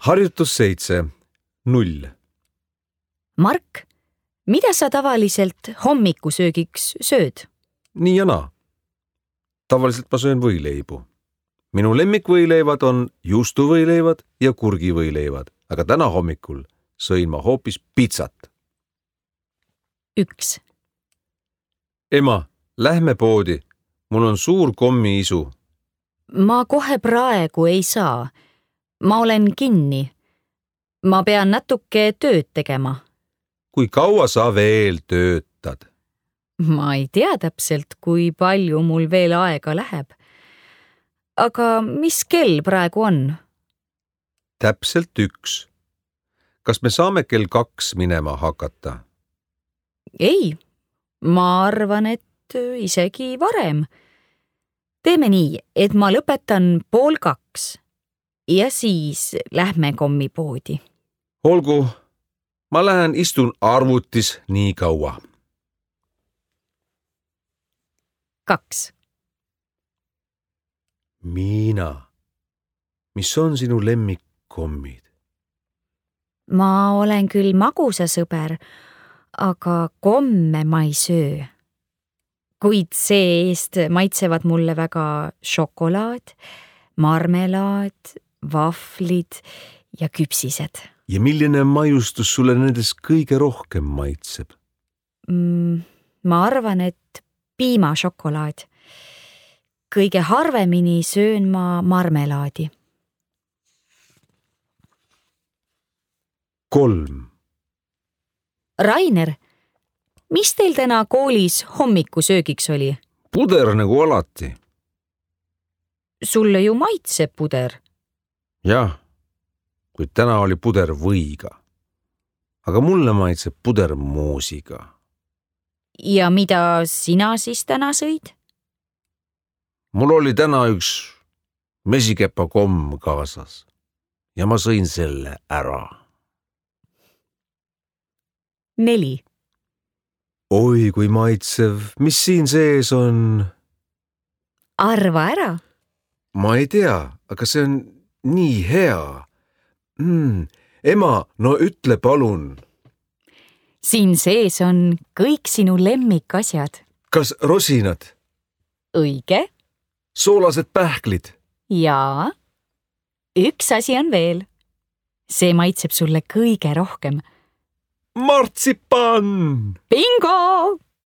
Harjutus 7. 0. Mark, mida sa tavaliselt hommikusöögiks sööd? Nii ja naa. Tavaliselt ma söön võileibu. Minu lemmikvõileivad on juustuvõileivad ja kurgivõileivad, aga täna hommikul sõin ma hoopis pitsat. 1. Ema, lähme poodi. Mul on suur kommiisu. Ma kohe praegu ei saa. Ma olen kinni. Ma pean natuke tööd tegema. Kui kaua sa veel töötad? Ma ei tea täpselt, kui palju mul veel aega läheb. Aga mis kell praegu on? Täpselt 1. Kas me saame kell 2 minema hakata? Ei, ma arvan, et isegi varem. Teeme nii, et ma lõpetan 1:30 ja siis lähme kommipoodi. Olgu, ma lähen istun arvutis nii kaua. 2. Miina, mis on sinu lemmikkommid? Ma olen küll magusasõber, aga komme ma ei söö. Kuid see-eest maitsevad mulle väga šokolaad, marmelaad, vahvlid ja küpsised. Ja milline maiustus sulle nendest kõige rohkem maitseb? Ma arvan, et piimašokolaad. Kõige harvemini söön ma marmelaadi. 3. Rainer, mis teil täna koolis hommikusöögiks oli? Puder nagu alati. Sulle ju maitseb puder. Jah, kuid täna oli puder võiga. Aga mulle maitseb puder moosiga. Ja mida sina siis täna sõid? Mul oli täna üks mesikepakomm kaasas ja ma sõin selle ära. 4. Oi, kui maitsev, mis siin sees on? Arva ära. Ma ei tea, aga see on nii hea. Ema, no ütle palun. Siin sees on kõik sinu lemmikasjad. Kas rosinad? Õige. Soolased pähklid? Jaa. Üks asi on veel. See maitseb sulle kõige rohkem. Martsipan! Bingo!